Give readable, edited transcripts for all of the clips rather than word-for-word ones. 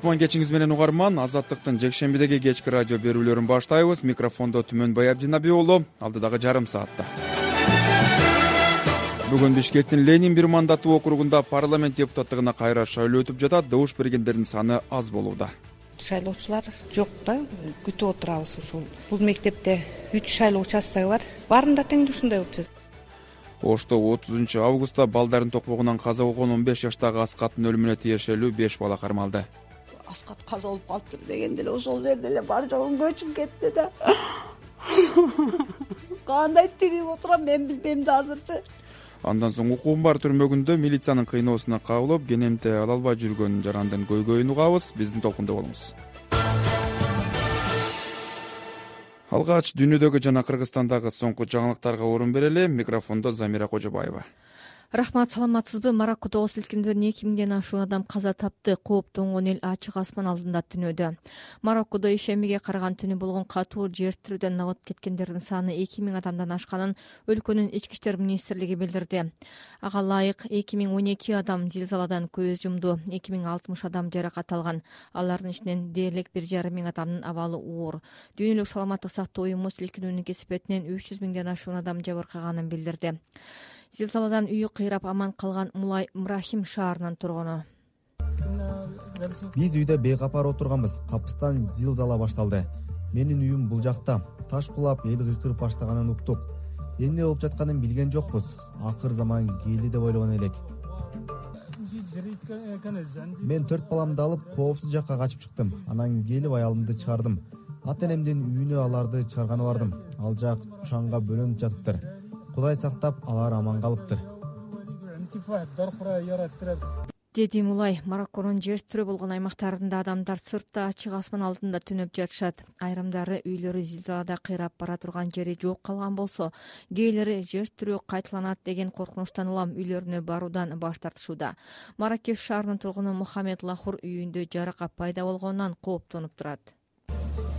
кутман кечиңиз менен угарман. Азаттыктын жекшембидеги кечки радио берүүлөрүн баштайбыз. Микрофондо Түмөнбай Абдинаби уулу. Алдыдагы жарым саатта бүгүн Бишкектин Ленин бир мандаттуу округунда парламент депутаттыгына кайра шайлоо өтүп жатат. Добуш бергендердин саны аз болууда. Шайлоочулар жок да, күтүп отурабыз. Ушул бул мектепте 3 шайлоо участогу бар. Баарында тең ушундай болуп жатат. Ошто 30 августта балдарын токмогунан каза болгон 15 жаштагы Аскаттын өлүмүнө тиешелүү 5 бала кармалды. Аскат каза болуп калыптыр дегенде эле ошол жерде эле бар жогун көчүп кетти да. Кандай тирип отурам мен билбейм да азырчы. Андан соң укугум бар түрмөгүндө милициянын кыйноосуна кабылып, кенемте ала албай жүргөн жарандын көйгөйүн угабыз. Биздин толкунда болуңуз. Алгач дүйнөдөгү жана Кыргызстандагы соңку жаңылыктарга орун берели. Микрофондо Замира Кожобаева. Рахмат, саламатсызбы? Мароккодо силкиндерден 2000ден ашуун адам каза тапты. Кооптонгон эл ачык асман алдында түнөдө. Мароккодо ишембиге караган түнү болгон катуу жер тирүүдөн нагат кеткендердин саны 2000 адамдан ашканын өлкөнүн ички иштер министрлиги билдирди. Ага ылайык 2012 адам зилзаладан көз жумду, 2060 адам жаракат алган. Алардын ичинен дээрлик 1,5 миң адамдын абалы оор. Дүйнөлүк саламаттык сактоо уюму силкинүүнүн кесепетинен 300 миңден ашуун адам жабыркаганын билдирди. Зилзаладан үйү кыйрап аман калган Мулай Мрахим шаарынын тургуну. Биз үйдө бейкапар отурганбыз. Капыстан зилзала башталды. Менин үйүм бул жакта. Таш кулап, эл кыйкырып баштаганын уктук. Эмне болуп жатканын билген жокпуз. Акыр заман келди деп ойлогон элек. Мен 4 баламды алып, коопсуз жакка качып чыктым. Анан келип аялымды чыгардым. Ата энемдин үйүнө аларды чыгарганы бардым. Ал жак шаңга бөлөнүп жатыптыр. Кудай сактап, алар аман калыптыр. Деди Мулай. Марокконун жер тирөө болгон аймактарында адамдар сыртта ачык асман алдында түнөп жатышат. Айрымдары үйлөрү зилзалада кыйрап бара турган жери жок калган болсо, кээделери жер тирөө кайталанат деген коркунучтан улам үйлөрүнө баруудан баш тартышууда. Маракеш шаарынын тургуну Мухаммед Лахур үйүндө жаракат пайда болгонунан кооптонуп турат.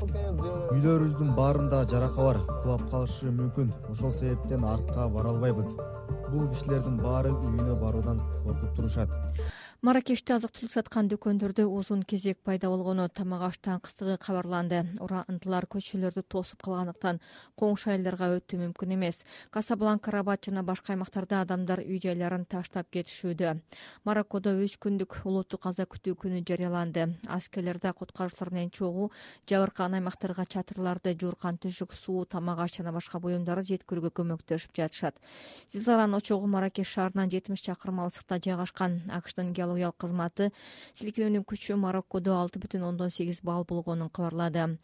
Үйлөрүбүздүн баарында жарака бар, кулап калышы мүмкүн. Ошол себептен артка бара албайбыз. Бул кишилердин баары үйүнө баруудан коркуп турушат. Маракеште азык-түлүк саткан дүкөндөрдө узун кезек пайда болгону, тамак аш таңкыстыгы кабарланды. Урандылар көчөлөрдү тосуп калгандыктан коңшу айылдарга өтүү мүмкүн эмес. Касабланка, Рабат жана башка аймактарда адамдар үй жайларын таштап кетишүүдө. Мароккодо 3 күндүк улуттук каза күтүү күнү жарыяланды. Аскерлер да куткаруучулар менен чогуу жабыркаган аймактарга чатырларды, жууркан төшөк, суу, тамак аш жана башка буюмдарды жеткирүүгө көмөктөшүп жатышат. Зилзаланын очогу Маракеш шаарынан 70 чакырым алыстыкта жайгашкан. AQShtын геологиялык кызматы силкинүүнүн күчү Мароккодо 6,8 балл болгонун кабарлады.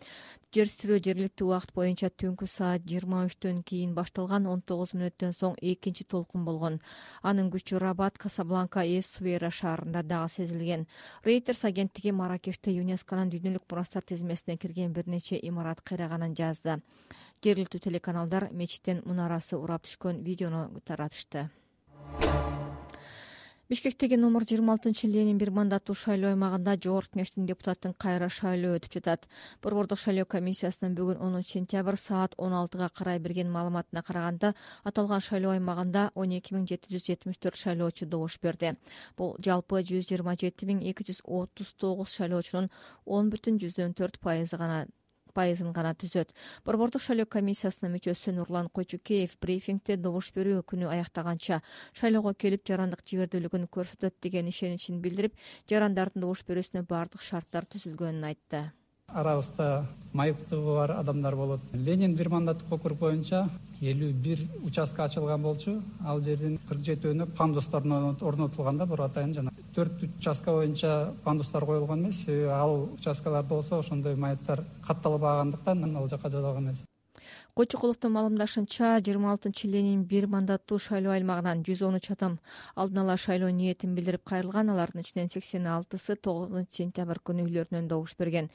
Жер тирөө жергиликтүү убакыт боюнча түнкү саат 23-төн кийин башталган, 19 мүнөттөн соң экинчи толкун болгон. Анын күчү Рабат, Касабланка, Эс-Сувейра шаарында дагы сезилген. Reuters агенттиги Маракеште ЮНЕСКОнун дүйнөлүк мурастар тизмесине кирген бир нече имарат кыйраганын жазды. Жергиликтүү телеканалдар мечиттин мунарасы урап түшкөн видеону таратышты. Бишкектеги номер 26 Ленин бир мандаттуу шайлоо аймагында Жогорку Кеңештин депутаттын кайра шайлоо өтүп жатат. Борбордук шайлоо комиссиясынын бүгүн 10 сентябрь саат 16-га карай берген маалыматына караганда, аталган шайлоо аймагында 12774 шайлоочу добуш берди. Бул жалпы 127239 шайлоочунун 10,4% гана түзөт. Борбордук шайлоо комиссиясынын мүчөсү Нурлан Койчукеев брифингде добуш берүү күнү аяктаганча шайлоого келип жарандык жигердүүлүгүн көрсөтөт деген ишеничин билдирип, жарандардын добуш берүүсүнө бардык шарттар түзүлгөнүн айтты. Арабызда майыптыгы бар адамдар болот. Ленин бир мандаттык округ боюнча 51 участка ачылган болчу. Ал жердин 47-өөнө пандустар орнотулганда бур атайын жана 4 участка боюнча пандустар коюлган эмес. Ал участкаларда болсо ошондой майыптар катталбагандыктан ал жака жазылган эмес. Койчукуловдун маалымдашынча 26 Ленин бир мандаттуу шайлоо аймагынан 113 адам алдын ала шайлоо ниетин билдирип кайрылган. Алардын ичинен 86-сы 9 сентябрь күнү үйлөрүнөн добуш берген.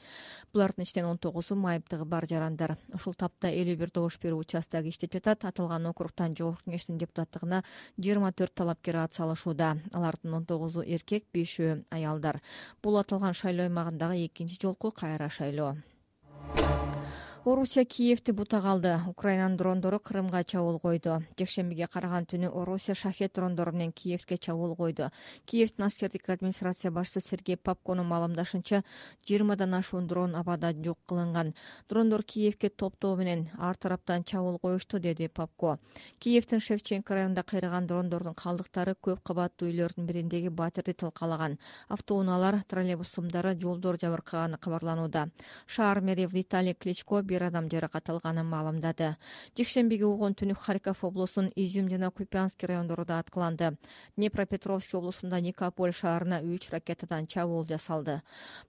Булардын ичинен 19-у майыптыгы бар жарандар. Ушул тапта 51 добуш берүү участогу иштеп жатат. Аталган округтан Жогорку Кеңештин депутаттыгына 24 талапкер ат салышууда. Алардын 19-у эркек, 5-өө аялдар. Бул аталган шайлоо аймагындагы экинчи жолку кайра шайлоо. Орусия Киевди бутак алды. Украинанын дрондору Крымга чабуул койду. Жекшембиге караган түнү Орусия шахет дрондору менен Киевге чабуул койду. Киевдин аскердик администрация башчысы Сергей Попконун маалымдашынча 20дан ашуун дрон абада жок кылынган. Дрондор Киевге топтоо менен ар тараптан чабуул коюшту, деди Попко. Киевдин Шевченко районунда кыйраган дрондордун калдыктары көп кабаттуу үйлөрдүн бириндеги батирди тылкалаган. Автоунаалар, троллейбус сымдары, жолдор жабыркаганы кабарланууда. Шаар мэри Виталий Кличко бир адам жаракат алганын маалымдады. Жекшембиге угун түнү Харьков облусунун Изюм жана Купянский райондору да аткыланды. Днепропетровский облусунда Никополь шаарына 3 ракетадан чабуул жасалды.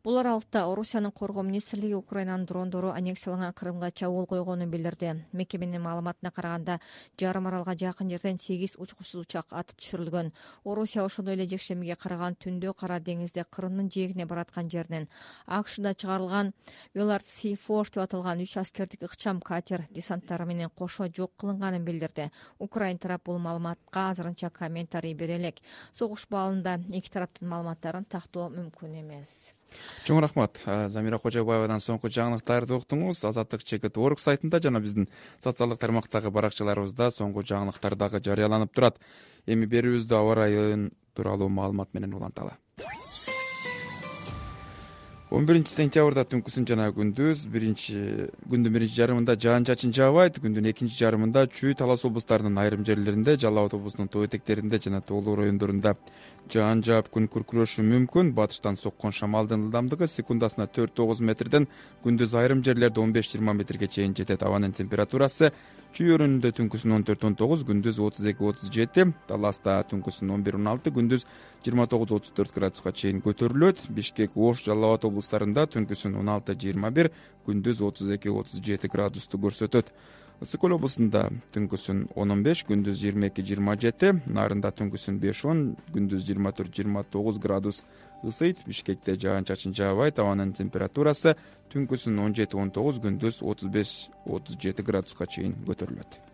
Бул аралыкта Орусиянын коргоо министрлиги Украинанын дрондору аннексияланган Крымга чабуул койгонун билдирди. Мекеменин маалыматына караганда, жарым аралга жакын жерден 8 учкучсуз учак атып түшүрүлгөн. Орусия ошондой эле жекшембиге караган түндө Кара деңизде Крымдын жээгине бараткан жеринен АКШда чыгарылган Велард Сифош деп аталган 3 аскердик ыкчам катер десанттары менен кошо жок кылынганын билдирди. Украин тарап бул маалыматка азырынча комментарий бере элек. Согуш баалында эки тараптын маалыматтарын тактоо мүмкүн эмес. Чоң рахмат. Замира Кожобаевадан соңку жаңылыктарды уктуңуз. Азаттык ЧКТ.org сайтында жана биздин социалдык тармактагы баракчаларыбызда соңку жаңылыктар дагы жарыяланып турат. Эми берүүбүздү аба райын тууралуу маалымат менен уланталы. 11-сентябрда түнкүсүн жана күндүз күндүн биринчи жарымында жаан чачын жаабайт, күндүн экинчи жарымында Чүй, Талас облустарынын айрым жерлеринде, Жалал Абад облусунун тоо этектеринде жана тоолуу райондорунда жаан жаап күн күркүрөшү мүмкүн. Батыштан соккон шамалдын ылдамдыгы секундасына 4-9 метрден, күндүз айрым жерлерде 15-20 метрге чейин жетет. Абанын температурасы Чүй өрүнүндө түнкүсүн 14-19, күндүз 32-37, Таласта түнкүсүн 11-16, күндүз 29-34 градуска чейин көтөрүлөт. Бишкек, Ош, Жалал Абад облустарында түнкүсүн 16-21, күндүз 32-37 градусту көрсөтөт. Ысык Көл облусунда түнкүсүн 10-15, күндүз 22-27, Нарында түнкүсүн 5-10, күндүз 24-29 градус ысыйт. Бишкекте жаан чачын жаабайт, абанын температурасы түнкүсүн 17-19, күндүз 35-37 градуска чейин көтөрүлөт.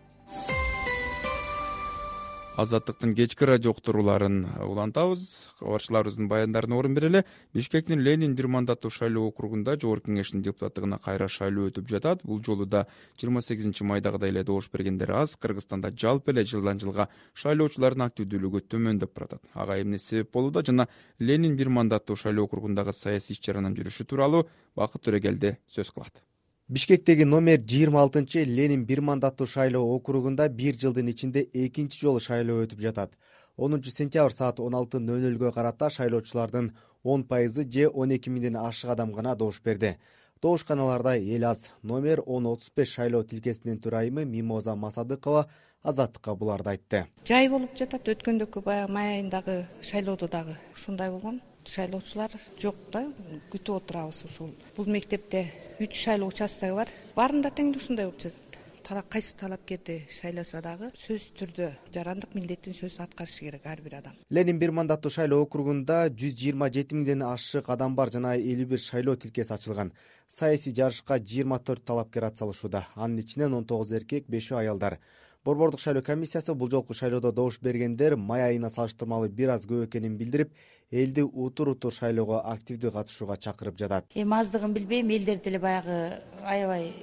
Азаттыктын кечки радио уктурууларын улантабыз. Кабарчыларыбыздын баяндарына орун берели. Бишкектин Ленин бир мандаттуу шайлоо округунда жогорку кеңештин депутаттыгына кайра шайлоо өтүп жатат. Бул жолу да 28-майдагыдай эле добуш бергендер аз. Кыргызстанда жалпы эле жылдан жылга шайлоочулардын активдүүлүгү төмөндөп баратат. Ага эмне себеп болууда жана Ленин бир мандаттуу шайлоо округундагы саясий иш-чаранын жүрүшү тууралуу Бакыт Төрөгелди сөз кылат. Бишкектеги номер 26 Ленин бир мандаттуу шайлоо округунда 1 жылдын ичинде экинчи жолу шайлоо өтүп жатат. 10-сентябрь саат 16:00 карата шайлоочулардын 10% же 12 миңден ашык адам гана добуш берди. Добушканаларда эл аз. Номер 1035 шайлоо тилкесинин төрайымы Мимоза Масадыкова Азаттыкка буларды айтты. Жай болуп жатат. Өткөндөгү баягы май айындагы шайлоодо дагы ушундай болгон. Шайлоочулар жок да, күтүп отурабыз ушул. Бул мектепте 3 шайлоо участогу бар. Баарында тең ушундай болуп жатат. Кайсы талапкерди шайласа дагы сөзсүз түрдө жарандык милдеттин сөзүн аткарышы керек ар бир адам. Ленин бир мандаттуу шайлоо округунда 127 миңден ашык адам бар жана 51 шайлоо тилкеси ачылган. Саясий жарышка 24 талапкер атсалышууда. Анын ичинен 19 эркек, 5 аялдар. Борбордук шайлоо комиссиясы бул жолку шайлоодо добуш бергендер май айына салыштырмалуу бир аз көп экенин билдирип, элди утур шайлоого активдүү катышууга чакырып жатат. Аздыгын билбейм, элдер деле баягы аябай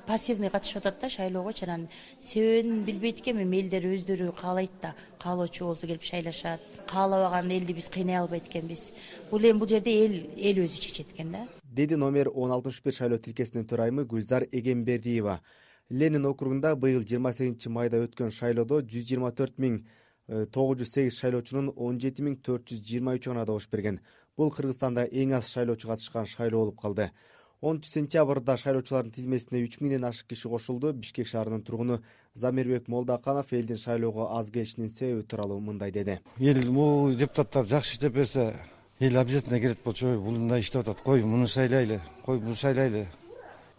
пассивный катышып атат да шайлоого. Анан себебин билбейт экенмин, элдер өздөрү каалайт да, каалоочу болсо келип шайлашат. Каалабаган элди биз кыйнай албайт экенбиз. Бул эми бул жерде эл өзү чечет экен да. Деди номер 1061 шайлоо тилкесинин төрайымы Гүлзар Эгембердиева. Ленин округунда быйыл 28-майда өткөн шайлоодо 124.908 шайлоочунун 17.423 гана добуш берген. Бул Кыргызстанда эң аз шайлоочу катышкан шайлоо болуп калды. 10-сентябрда шайлоочулардын тизмесине 3 миңден ашык киши кошулду. Бишкек шаарынын тургуну Замирбек Молдаканов элдин шайлоого аз келишинин себеби тууралуу мындай деди. Эл бул депутаттар жакшы иштеп берсе, эл обязательно келет болчу. Бул мындай иштеп атат. Кой муну шайлайлы, кой бул шайлайлы.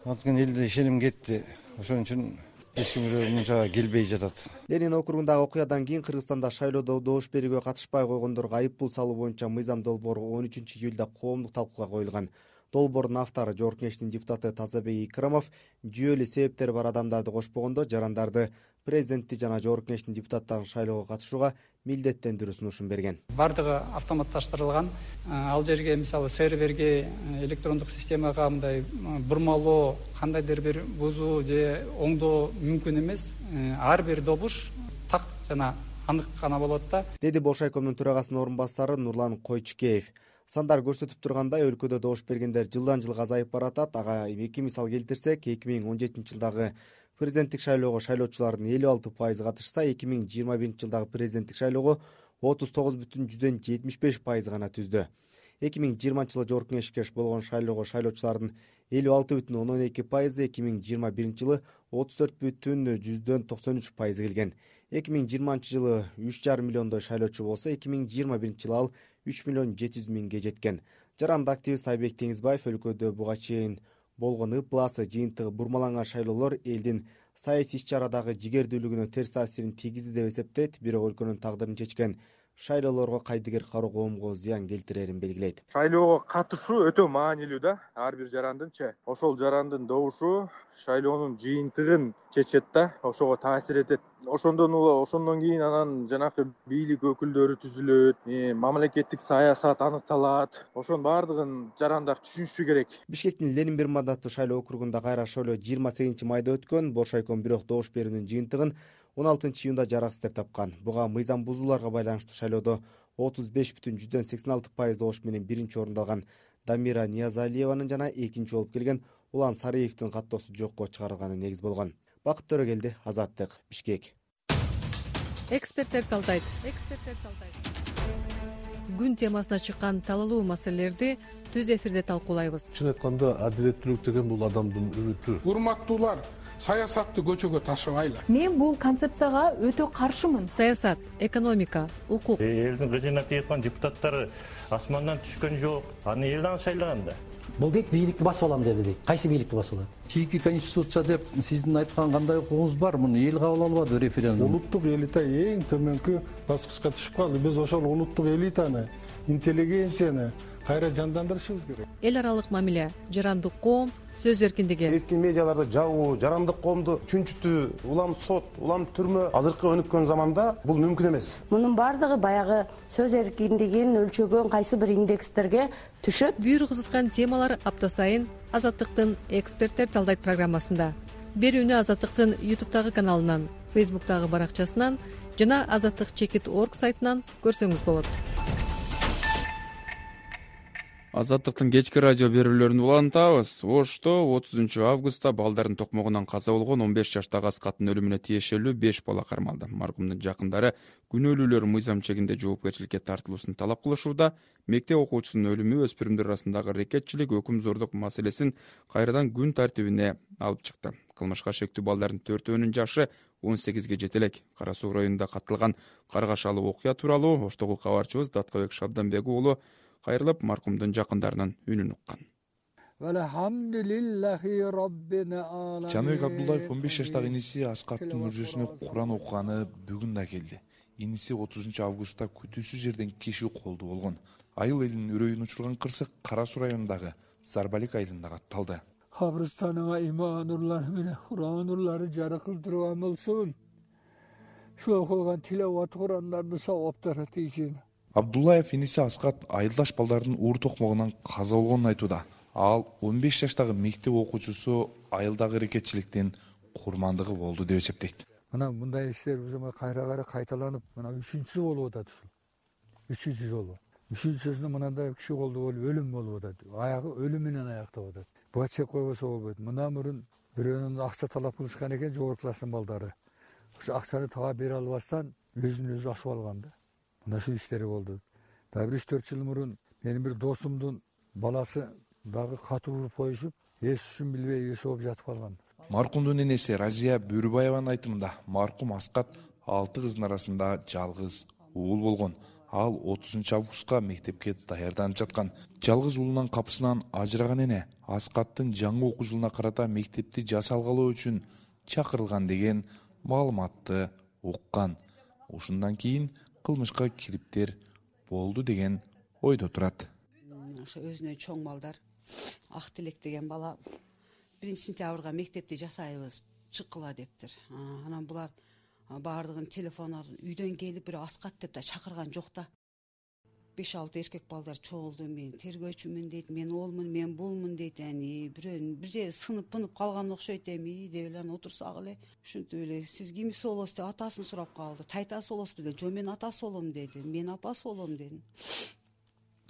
Анткени элде ишеним кетти. Ошон үчүн эч ким уже мынча келбей жатат. Ленин округундагы окуядан кийин Кыргызстанда шайлоодо добуш берүүгө катышпай койгондорго айып пул салуу боюнча мыйзам долбоору 13-июлда коомдук талкууга коюлган. Долбоордун автору Жогорку Кеңештин депутаты Тазабек Икрамов жүйөлүү себептери бар адамдарды кошпогондо жарандарды президентти жана Жогорку Кеңештин депутаттарын шайлоого катышууга милдеттендирүү сунушун берген. Бардыгы автоматташтырылган. Ал жерге мисалы серверге электрондук системага мындай бурмалоо, кандайдыр бир бузуу же оңдоо мүмкүн эмес. Ар бир добуш так жана анык гана болот да, деди Болшайкомдун төрагасынын орун басары Нурлан Койчукеев. Сандар көрсөтүп тургандай, өлкөдө добуш бергендер жылдан жылга азайып баратат. Ага эки мисал келтирсек, 2017 жылдагы президенттик шайлоого шайлоочулардын 56% катышса, 2021 жылдагы президенттик шайлоого 39,75% гана түздү. 2020 жылы Жогорку Кеңешке болгон шайлоого шайлоочулардын 56,12%, 2021 жылы 34,93% келген. 2020 жылы 3,5 миллиондой шайлоочу болсо, 2021 жылы ал 3,700,000 жеткен. Жаранды активист Айбек Теңизбаев өлкөдө буга чейин болгон ыпласы, жыйынтыгы бурмаланган шайлоолор элдин саясий иш-чарадагы жигердүүлүгүнө терс таасирин тийгизди деп эсептейт. Бирок өлкөнүн тагдырын чечкен шайлоолорго кайдыгер кароо коомго зыян келтирерин белгилейт. Шайлоого катышуу өтө маанилүү да, ар бир жарандынчы. Ошол жарандын добушу шайлоонун жыйынтыгын чечет да, ошого таасир этет. Ошондон кийин анан жанакы бийлик өкүлдөрү түзүлөт, мамлекеттик саясат аныкталат. Ошонун баардыгын жарандар түшүнүшү керек. Бишкектин Ленин бир мандаттуу шайлоо округунда кайра шайлоо 28 майда өткөн. Болшайком бирок добуш берүүнүн жыйынтыгын 16 июнда жараксыз деп тапкан. Буга мыйзам бузууларга байланыштуу шайлоодо 35,86% добуш менен биринчи орунду алган Дамира Ниязалиеванын жана экинчи болуп келген Улан Сариевдин каттоосу жокко чыгарылганы негиз болгон. Бакыт Төрөгелди, Азаттык, Бишкек. Эксперттер талдайт. Күн темасына чыккан талалуу маселелерди түз эфирде талкуулайбыз. Чын айтканда, адилеттүүлүк деген бул адамдын үмүтү. Урматтуулар, саясатты көчөгө ташыбайлы. Мен бул концепцияга өтө каршымын. Саясат, экономика, укук. Элдин кызына тийип депутаттары асмандан түшкөн жок. Аны элден шайлаган да. Бул дейт бийликти басып алам деди дейт. Кайсы бийликти басып алат? Чийки конституция деп сиздин айткан кандай укугуңуз бар? Муну эл кабыл албады референдум. Улуттук элита эң төмөнкү баскычка түшүп калды. Биз ошол улуттук элитаны, интеллигенцияны кайра жандандырышыбыз керек. Эл аралык мамиле, жарандык коом, сөз эркиндиги. Эркин медиаларды жабуу, жарандык коомду чүнчүтүү, улам сот, улам түрмө азыркы өнүккөн заманда бул мүмкүн эмес. Мунун бардыгы баягы сөз эркиндигин өлчөгөн кайсы бир индекстерге түшөт. Бүйүр кызыткан темалар апта сайын Азаттыктын эксперттер талдайт программасында. Берүүнү Азаттыктын YouTube'тагы каналынан, Facebook'тагы баракчасынан жана azattik.org сайтынан көрсөңүз болот. Азаттыктын кечки радио берүүлөрүн улантабыз. Ошто 30 августта балдардын токмогунан каза болгон 15 жаштагы Аскаттын өлүмүнө тиешелүү 5 бала кармалды. Маркумдун жакындары күнөөлүүлөр мыйзам чегинде жоопкерчиликке тартылуусун талап кылышууда. Мектеп окуучусунун өлүмү өспүрүмдөр арасындагы рекетчилик, өкүм зордук маселесин кайрадан күн тартибине алып чыкты. Кылмышка шектүү балдардын 4-өөнүн жашы 18ге жете элек. Кара Суу районунда катталган каргашалуу окуя тууралуу Оштогу кабарчыбыз Даткабек Шабданбек уулу кайрылып маркумдун жакындарынын үнүн уккан. Жаныбек Абдуллаев 15 жаштагы иниси Аскаттын мүрзөсүнө Куран окуганы бүгүн да келди. Иниси 30 августта күтүүсүз жерден киши колду болгон. Айыл элинин үрөйүн учурган кырсык Кара Суу районундагы Зарбалик айылында катталды. Кабырстаныңа иман нурлары менен Куран нурлары жаркырап турган болсун. Шу окулган тилават Курандардын сабаптары тийсин. Абдуллаев иниси Аскат айылдаш балдардын уур токмогунан каза болгонун айтууда. Ал 15 жаштагы мектеп окуучусу айылдагы рекетчиликтин курмандыгы болду деп эсептейт. Мына мындай иштер биз кайра кайталанып, мына 3-сү болуп атат. 3-сү жолу. 3-сүсүндө мындай киши колду болуп өлүм болуп атат. Аягы өлүм менен аяктап атат. Буга чек койбосо болбойт. Мына мурун бирөөнүн акча талап кылышкан экен жогорку класстын балдары. Ошо акчаны таба бере албастан өзүн өзү асып алган да. Мына ушул иштери болду. Дагы 3-4 жыл мурун менин бир досумдун баласы дагы катуу уруп коюшуп, эс-түшүн билбей эс болуп жатып калган. Маркумдун энеси Разия Бөрүбаеванын айтымында маркум Аскат 6 кыздын арасында жалгыз уул болгон. Ал 30 августка мектепке даярданып жаткан. Жалгыз уулунун капысынан ажыраган эне Аскаттын жаңы окуу жылына карата мектепти жасалгалоо үчүн чакырылган деген маалыматты уккан. Ушундан кийин кылмышка кириптер болду деген ойдо турат. Ошо өзүнө чоң балдар Ак Тилек деген бала 1-сентябрга мектепти жасайбыз чыккыла дептир. Анан булар баардыгын телефону үйдөн келип бирөө Аскат деп да чакырган жок да. 5-6 эркек балдар чогулду, мен тергөөчүмүн дейт, мен олмун, мен булмун дейт. Бирөө бир жери сынып калган окшойт эми деп эле отурсак эле. Ушинтип эле сиз кимиси болосуз деп атасын сурап калды. Тайтасы болосузбу деп, жок мен атасы болом деди. Мен апасы болом дедим.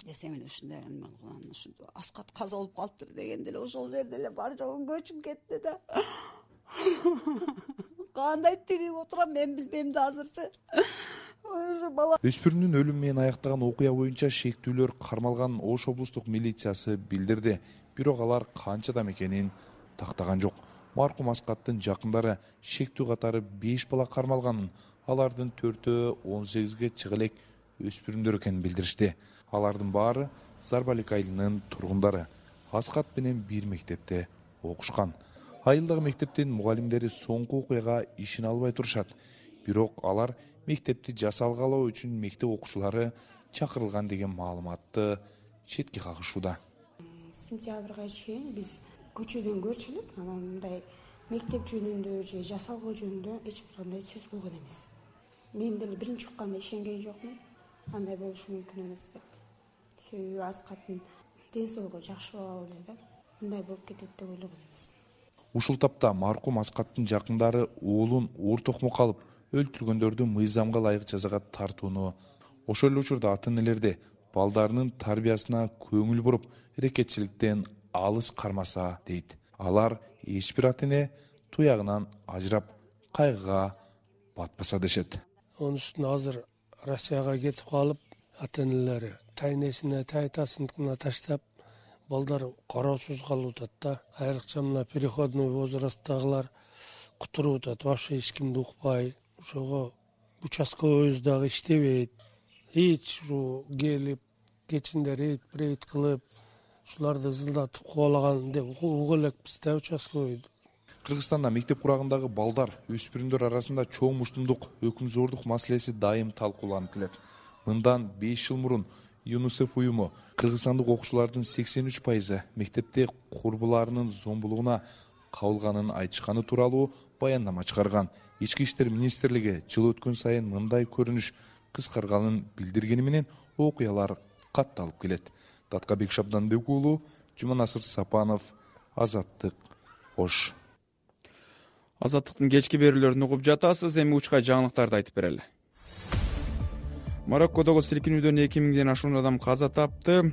Десем эле ушундай ушинтип Аскат каза болуп калыптыр дегенде эле ошол жерде эле бар жогун көчүп кетти да. Кандай тирип отурам мен билбейм да азырчы. Өспүрүмдүн өлүмү менен аяктаган окуя боюнча шектүүлөр кармалганын Ош облустук милициясы билдирди. Бирок алар канчадан экенин тактаган жок. Маркум Аскаттын жакындары шектүү катары 5 бала кармалганын, алардын 4-өө 18ге чыга элек өспүрүмдөр экенин билдиришти. Алардын баары Зарбалик айылынын тургундары. Аскат менен бир мектепте окушкан. Айылдагы мектептин мугалимдери соңку окуяга ишене албай турушат. Бирок алар мектепти жасалгалоо үчүн мектеп окуучулары чакырылган деген маалыматты четке кагышууда. Сентябрга чейин биз көчөдөн көрчүлүк, анан мындай мектеп жөнүндө же жасалгоо жөнүндө эч бир кандай сөз болгон эмес. Мен деле биринчи укканда ишенген жокмун. Андай болушу мүмкүн эмес деп. Себеби Аскаттын ден соолугу жакшы бала эле да. Мындай болуп кетет деп ойлогон эмес. Ушул тапта маркум Аскаттын жакындары уулун оор токмокко алып, өлтүргөндөрдү мыйзамга ылайык жазага тартууну, ошол эле учурда ата-энелерди балдарынын тарбиясына көңүл буруп, эрекетчиликтен алыс кармаса дейт. Алар эч бир ата-эне туягынан ажырап, кайгыга батпаса дешет. Онун үстүнө азыр Россияга кетип калып, ата-энелери тайнесине, тайтасына таштап, балдар кароосуз калып атат да. Айрыкча мына переходной возрасттагылар кутуруп атат, вообще эч кимди укпай. Ошого участковойубуз дагы иштебейт. Эч ушу келип, кечинде рейд кылып, ушуларды ызылдатып кубалаган деп угуп элекпиз да участковойду. Кыргызстанда мектеп курагындагы балдар, өспүрүмдөр арасында чоң муштумдук, өкүмзордук маселеси дайым талкууланып келет. Мындан 5 жыл мурун ЮНИСЕФ уюму кыргызстандык окуучулардын 83% мектепте курбуларынын зомбулугуна кабылганын айтышканы тууралуу баяндама чыгарган. Ички иштер министрлиги жыл өткөн сайын мындай көрүнүш кыскарганын билдиргени менен окуялар катталып келет. Таткабек Шабдандык уулу, Жуманасыр Сапанов, Азаттык, Ош. Азаттыктын кечки берүүлөрүн угуп жатасыз, эми учка жаңылыктарды айтып берели. Мароккодогу силкинүүдөн 2000ден ашуун адам каза тапты.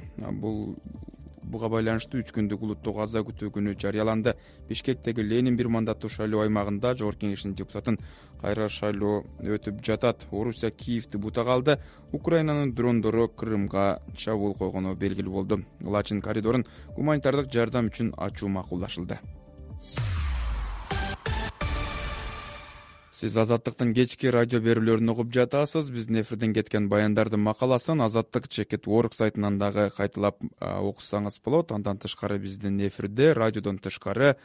Буга байланыштуу 3 күндүк улуттук аза күтүү күнү жарыяланды. Бишкектеги Ленин бир мандаттуу шайлоо аймагында Жогорку Кеңештин депутатын кайра шайлоо өтүп жатат. Орусия Киевди бутага алды. Украинанын дрондору Крымга чабуул койгону белгилүү болду. Лачин коридорун гуманитардык жардам үчүн ачуу макулдашылды. Сиз Азаттыктын кечки радио берүүлөрүн угуп жатасыз. Биздин эфирден кеткен баяндардын макаласын Azattik.org сайтынан дагы кайталап окусаңыз болот. Андан тышкары биздин эфирде радиодон тышкары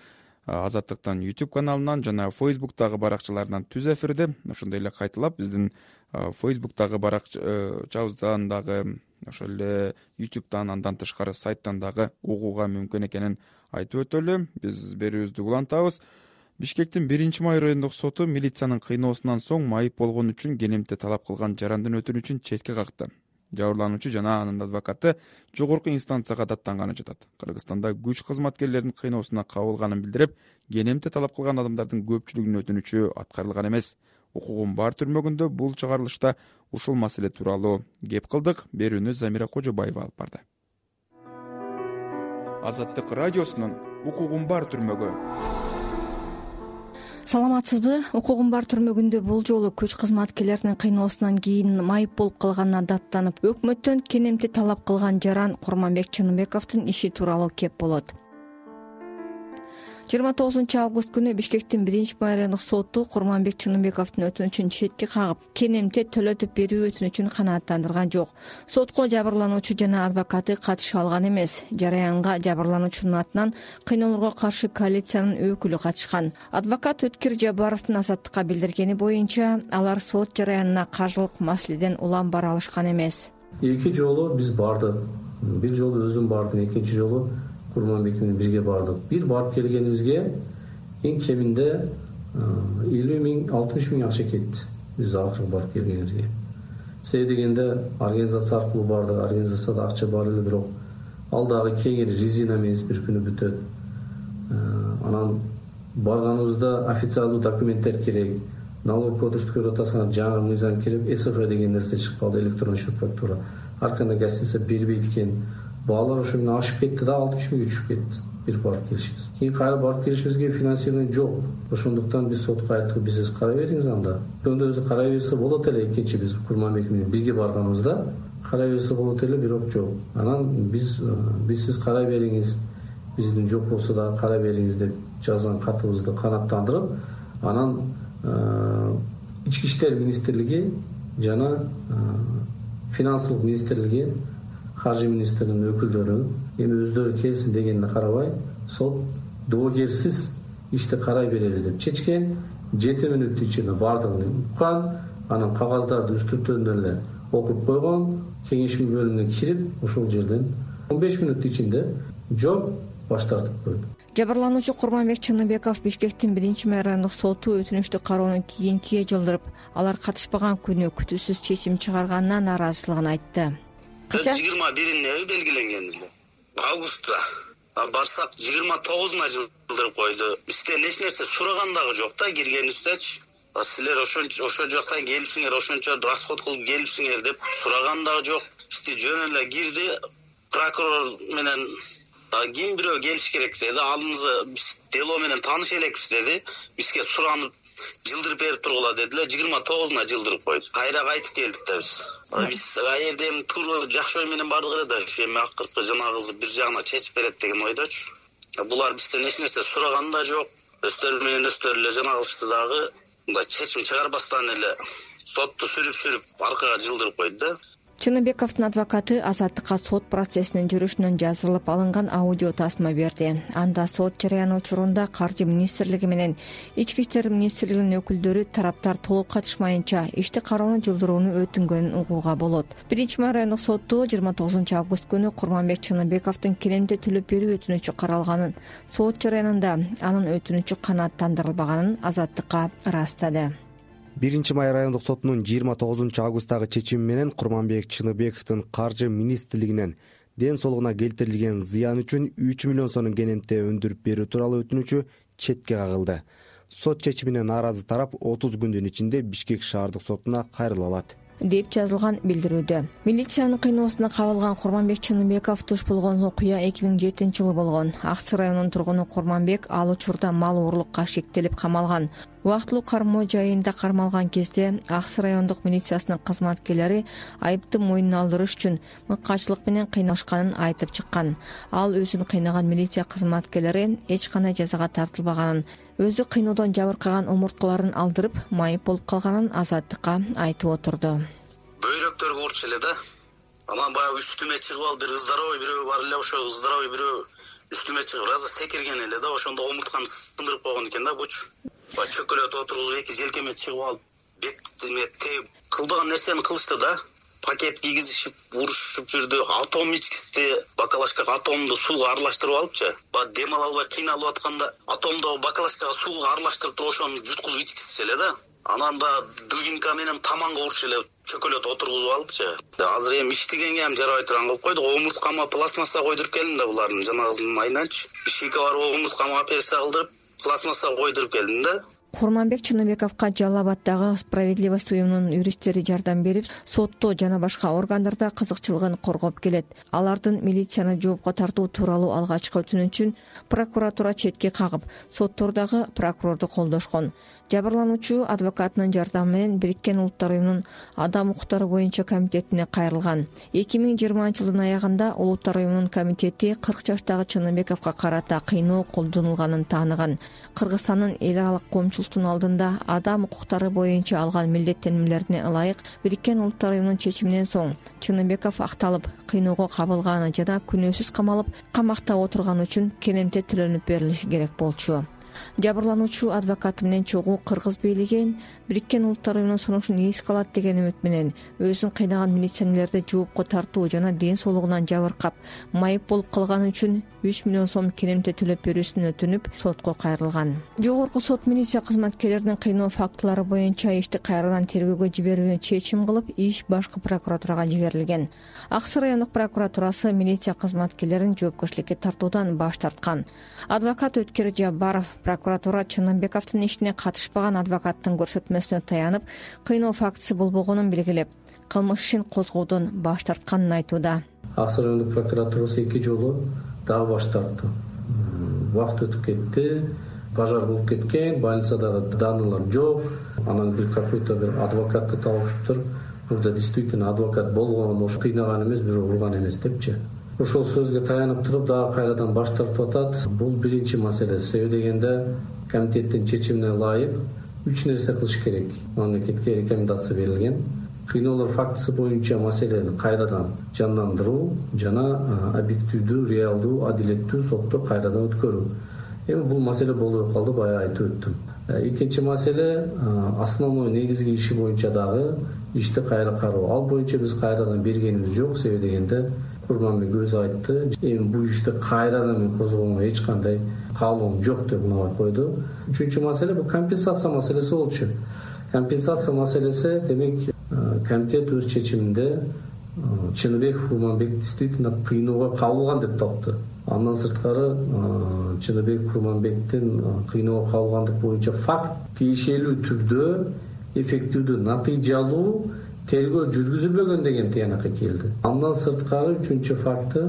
Азаттыктын YouTube каналынан жана Facebook'тагы баракчаларынан түз эфирде. Ошондой эле кайталап биздин Facebook'тагы баракчабыздан дагы, ошол эле YouTube'дан, андан тышкары сайттан дагы угууга мүмкүн экенин айтып өтөлү. Биз берүүбүздү улантабыз. Бишкектин 1-май райондук соту милициянын кыйноосунан соң майып болгон үчүн кенемте талап кылган жарандын өтүнүчүн четке какты. Жабырлануучу жана анын адвокаты жогорку инстанцияга даттанганы жатат. Кыргызстанда күч кызматкерлеринин кыйноосуна кабылганын билдирип, кенемте талап кылган адамдардын көпчүлүгүнүн өтүнүчү аткарылган эмес. Укугум бар түрмөгүндө бул чыгарылышта ушул маселе тууралуу кеп кылдык. Берүүнү Замира Кожобаева алып барды. Азаттык радиосунун укугум бар түрмөгү. Саламатсызбы? Укугум бар түрмөгүндө бул жолу күч кызматкерлеринин кыйноосунан кийин майып болуп калганына даттанып, өкмөттөн кенемте талап кылган жаран Курманбек Чыныбековдун иши тууралуу кеп болот. 29-август күнү Бишкектин 1-май райондук соту Курманбек Чыныбековдун өтүнүчүн четке кагып, кенемте төлөтүп берүү өтүнүчүн канааттандырган жок. Сотко жабырлануучу жана адвокаты катыша алган эмес. Жараянга жабырлануучунун атынан кыйноолорго каршы коалициянын өкүлү катышкан. Адвокат Өткир Жабаровдун Азаттыкка билдиргени боюнча, алар сот жараянына каржылык маселеден улам бара алышкан эмес. Эки жолу биз бардык. Бир жолу өзүм бардым, экинчи жолу Курманбек менен бирге бардык. Бир барып келгенибизге эң кеминде 50 миң 60 миң акча кетти. Биз акыркы барып келгенибизге. Себеби дегенде организация аркылуу бардык. Организацияда акча бар эле, бирок ал дагы кеңири резина эмес, бир күнү бүтөт. Анан барганыбызда официалдуу документтер керек. Налог кодекстин ротасына жаңы мыйзам кирип, СФ деген нерсе чыгып калды, электронный счет фактура. Арканда гостиница бербейт экен. Баалар ошо менен ашып кетти да 60 миңге түшүп кетти. Бир барып келишибиз. Кийин кайра барып келишибизге финансирование жок. Ошондуктан биз сотко айттык, биз карай бериңиз анда. Ошондо өзү карай берсе болот эле, экинчи биз Курманбек менен бирге барганыбызда карай берсе болот эле, бирок жок. Анан биз сиз карай бериңиз, биздин жок болсо да карай бериңиз деп жазган катыбызды канааттандырып, анан Ички иштер министрлиги жана финансылык министрлиги, каржы министринин өкүлдөрү эми өздөрү келсин дегенине карабай, сот доогерсиз ишти карай беребиз деп чечкен. 7 мүнөт ичинде бардыгын уккан, анан кагаздарды үстүртөн эле окуп койгон, кеңешме бөлүмүнө кирип ошол жерден 15 мүнөт ичинде жооп баш тартып койду. Жабырлануучу Курманбек Чыныбеков Бишкектин 1 райондук соту өтүнүчтү кароону кийинкиге жылдырып, алар катышпаган күнү күтүүсүз чечим чыгарганына нааразычылыгын айтты. 21-ине белгиленген эле. Августта барсак 29-уна жылдырып койду. Бизден эч нерсе сураган дагы жок да, киргенибиздечи. Силер ошо жактан келипсиңер, ошончо расход кылып келипсиңер деп сураган дагы жок. Бизди жөн эле кирди, прокурор менен ким бирөө келиш керек деди. Алыңызды биз дело менен тааныш элекпиз деди. Бизге суранып жылдырып берип тургула дедилер. 29-уна жылдырып койду. Кайра кайтып келдик да биз. Биз аерден тур жакшы ой менен бардык эле да, эми акыркы жанагысы бир жагына чечип берет деген ойдочу. Булар бизден эч нерсе сураган да жок. Өздөрү менен өздөрү эле жанагылышты дагы мындай чечим чыгарбастан эле сотту сүрүп аркага жылдырып койду да. Чыныбековдун адвокаты Азаттыкка сот процессинин жүрүшүнөн жазылып алынган аудио тасма берди. Анда сот жарыяны учурунда Каржы министрлиги менен Ички иштер министрлигинин өкүлдөрү тараптар толук катышмайынча ишти кароону жылдырууну өтүнгөнүн угууга болот. 1 райондук сотто 29 август күнү Курманбек Чыныбековдун келемде төлөп берүү өтүнүчү каралганын, сот жарыянында анын өтүнүчү канааттандырылбаганын Азаттыкка ырастады. 1 май райондук сотунун 29 августтагы чечими менен Курманбек Чыныбековдун Каржы министрлигинен ден соолугуна келтирилген зыян үчүн 3 миллион сомдон кенемте өндүрүп берүү тууралуу өтүнүчү четке кагылды. Сот чечимине нааразы тарап 30 күндүн ичинде Бишкек шаардык сотуна кайрыла алат деп жазылган билдирүүдө. Милициянын кыйноосуна кабылган Курманбек Чыныбеков туш болгон окуя 2007-жылы болгон. Аксы районунун тургуну Курманбек ал учурда мал оорлукка шектелип камалган. Убактылуу кармоо жайында кармалган кезде Аксы райондук милициясынын кызматкерлери айыпты мойнуна алдырыш үчүн мыккачылык менен кыйналышканын айтып чыккан. Ал өзүн кыйнаган милиция кызматкерлери эч кандай жазага тартылбаганын, өзү кыйноодон жабыркаган омурткаларын алдырып, майып болуп калганын Азаттыкка айтып отурду. Бөйрөктөргө урчу эле да. Анан баягы үстүмө чыгып алып, бир ыздоровый бирөө бар эле, ошо ыздоровый бирөө үстүмө чыгып раза секирген эле да, ошондо омуртканы сындырып койгон экен да бучу. Чөкөлөт отургузуп эки желкеме чыгып алып, бетиме тээп кылбаган нерсени кылышты да. Пакет кийгизишип, урушуп жүрдү. Атом ичкисти бакалашкага атомду сууга аралаштырып алыпчы. Дем ала албай кыйналып атканда атомду бакалашкага сууга аралаштырып туруп ошону жуткузуп ичкизчү эле да. Анан дубинка менен таманга урчу эле чөкөлөт отургузуп алыпчы. Азыр эми иштегенге ham жарабай турган кылып койдук. Омурткама пластмасса койдуруп келдим да булардын жанагысынын майынанчы. Бишкекке барып омурткама операция кылдырып, пластмасса койдуруп келдим да. Курманбек Чыныбековго Жалал Абаддагы Справедливость уюмунун юристтери жардам берип, сотто жана башка органдарда кызыкчылыгын коргоп келет. Алардын милицияны жоопко тартуу тууралуу алгачкы өтүнүчүн прокуратура четке кагып, соттордогу прокурорду колдошкон. Жабырлануучу адвокатынын жардамы менен Бириккен Улуттар уюмунун адам укуктары боюнча комитетине кайрылган. 2020-жылдын аягында Улуттар уюмунун комитети 40 жаштагы Чыныбековго карата кыйноо колдонулганын тааныган. Кыргызстандын эл аралык коомчулуктун алдында адам укуктары боюнча алган милдеттенмелерине ылайык Бириккен Улуттар уюмунун чечиминен соң Чыныбеков акталып, кыйноого кабылганы жана күнөөсүз камалып, камакта отурганы үчүн кенемте төлөнүп берилиши керек болчу. Жабырлануучу адвокаты менен чогуу кыргыз бийлиги Бириккен Улуттар уюмунун сунушун эске алат деген үмүт менен өзүн кыйнаган милиционерлерди жоопко тартуу жана ден соолугунан жабыркап, майып болуп калганы үчүн 3 миллион сом керемте төлөп берүүсүн өтүнүп сотко кайрылган. Жогорку сот милиция кызматкерлеринин кыйноо фактылары боюнча ишти кайрадан тергөөгө жиберүүнү чечим кылып, иш башкы прокуратурага жиберилген. Аксы райондук прокуратурасы милиция кызматкерлерин жоопкерчиликке тартуудан баш тарткан. Адвокат Өткөр Жабаров прокуратура Чыныбековдун ишине катышпаган адвокаттын көрсөтмөсүнө таянып, кыйноо фактысы болбогонун белгилеп, кылмыш ишин козгоодон баш тартканын айтууда. Аксы райондук прокуратурасы 2 жолу дагы баш тартты. Убакыт өтүп кетти, пожар болуп кеткен, больницадагы данылар жок. Анан бир какой-то бир адвокатты табышыптыр. Мурда действительно адвокат болгон, ошо кыйнаган эмес, бирок урган эмес депчи. Ошол сөзгө таянып туруп дагы кайрадан баш тартып атат. Бул биринчи маселе. Себеби дегенде комитеттин чечимине ылайык 3 нерсе кылыш керек. Мамлекетке рекомендация берилген. Кыйноолор фактысы боюнча маселени кайрадан жандандыруу жана объективдүү, реалдуу, адилеттүү сотто кайрадан өткөрүү. Эми бул маселе болбой калды, баягы айтып өттүм. Экинчи маселе основной негизги иши боюнча дагы ишти кайра кароо. Ал боюнча биз кайрадан бергенибиз жок, себеби дегенде Курманбек өзү айтты. Эми бул ишти кайрадан мен козгогонго эч кандай каалоом жок деп мынабай койду. Үчүнчү маселе бул компенсация маселеси болчу. Компенсация маселеси демек комитет өз чечиминде Чыныбеков Курманбек действительно кыйноого кабылган деп тапты. Андан сырткары Чыныбеков Курманбектин кыйноого кабылгандык боюнча факт тиешелүү түрдө эффективдүү натыйжалуу тергөө жүргүзүлбөгөн деген тыянакка келди. Андан сырткары үчүнчү факты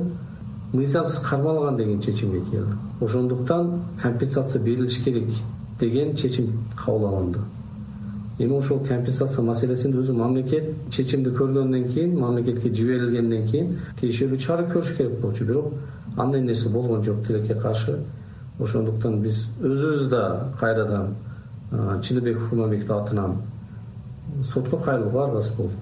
мыйзамсыз кармалган деген чечимге келди. Ошондуктан компенсация берилиш керек деген чечим кабыл алынды. Эми ошол компенсация маселесинде өзү мамлекет чечимди көргөндөн кийин, мамлекетке жиберилгенден кийин тиешелүү чара көрүш керек болчу, бирок андай нерсе болгон жок тилекке каршы. Ошондуктан биз өзүбүз да кайрадан Чыныбеков Курманбектин атынан сотко кайрылууга аргасыз болдук.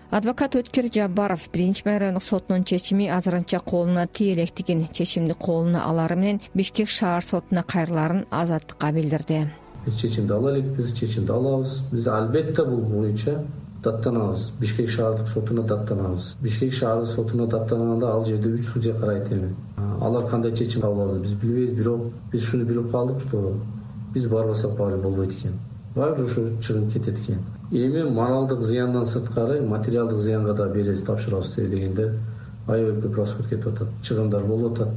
Адвокат Өткөр Жабаров биринчи райондук сотунун чечими азырынча колуна тие электигин, чечимди колуна алары менен Бишкек шаар сотуна кайрыларын Азаттыкка билдирди. Биз чечимди ала элекпиз, чечимди алабыз. Биз албетте бул боюнча даттанабыз. Бишкек шаардык сотуна даттанабыз. Бишкек шаардык сотуна даттанганда ал жерде 3 судья карайт эми. Алар кандай чечим кабыл алды биз билбейбиз, бирок биз шуну билип калдык, что биз барбасак баары болбойт экен. Баары ошо чыгып кетет экен. Эми моралдык зыяндан сырткары материалдык зыянга да беребиз, тапшырабыз дегенде аябай көп расход кетип атат, чыгымдар болуп атат.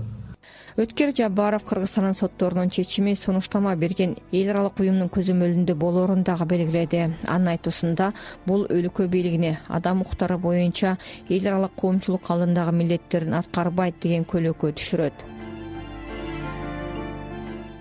Өткөр Жабаров Кыргызстандын сотторунун чечими сунуштама берген эл аралык уюмдун көзөмөлүндө болоорун дагы белгиледи. Анын айтуусунда бул өлкө бийлигине адам укуктары боюнча эл аралык коомчулук алдындагы милдеттерин аткарбайт деген көйлөккө түшүрөт.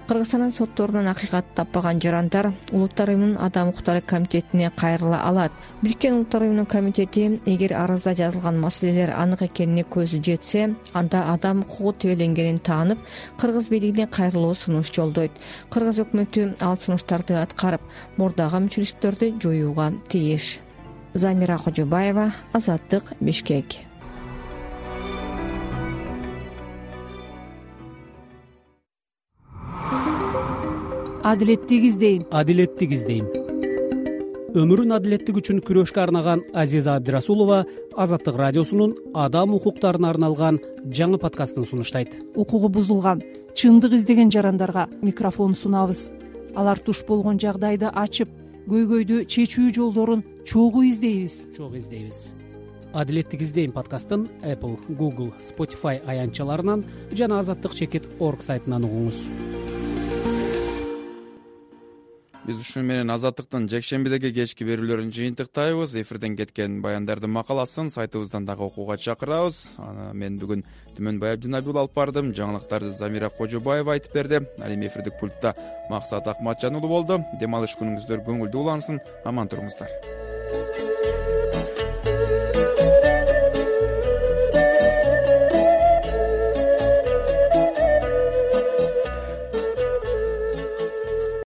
Кыргызстандын сотторунан акыйкат таппаган жарандар Улуттар уюмунун адам укуктары комитетине кайрыла алат. Бириккен Улуттар уюмунун комитети эгер арызда жазылган маселелер анык экенине көзү жетсе, анда адам укугу тебеленгенин таанып, кыргыз бийлигине кайрылуу сунуш жолдойт. Кыргыз өкмөтү ал сунуштарды аткарып, мурдагы мүчүлүктөрдү жоюуга тийиш. Замира Кожобаева, Азаттык, Бишкек. Адилеттик издейм. Адилеттик издейм. Өмүрүн адилеттик үчүн күрөшкө арнаган Азиза Абдирасулова Азаттык радиосунун адам укуктарына арналган жаңы подкастын сунуштайт. Укугу бузулган, чындык издеген жарандарга микрофон сунабыз. Алар туш болгон жагдайды ачып, көйгөйдү чечүү жолдорун чогуу издейбиз. Адилеттик издейм подкастын Apple, Google, Spotify аянтчаларынан жана azattik.org сайтынан угуңуз. Биз ушун менен Азаттыктын жекшембидеги кечки берүүлөрүн жыйынтыктайбыз. Эфирден кеткен баяндардын макаласын сайтыбыздан дагы окууга чакырабыз. Мен бүгүн Түмөн Баябдин Абдул алып бардым. Жаңылыктарды Замира Кожобаева айтып берди. Ал эми эфирдик пультта Максат Акматжан уулу болду. Дем алыш күнүңүздөр көңүлдүү улансын. Аман туруңуздар.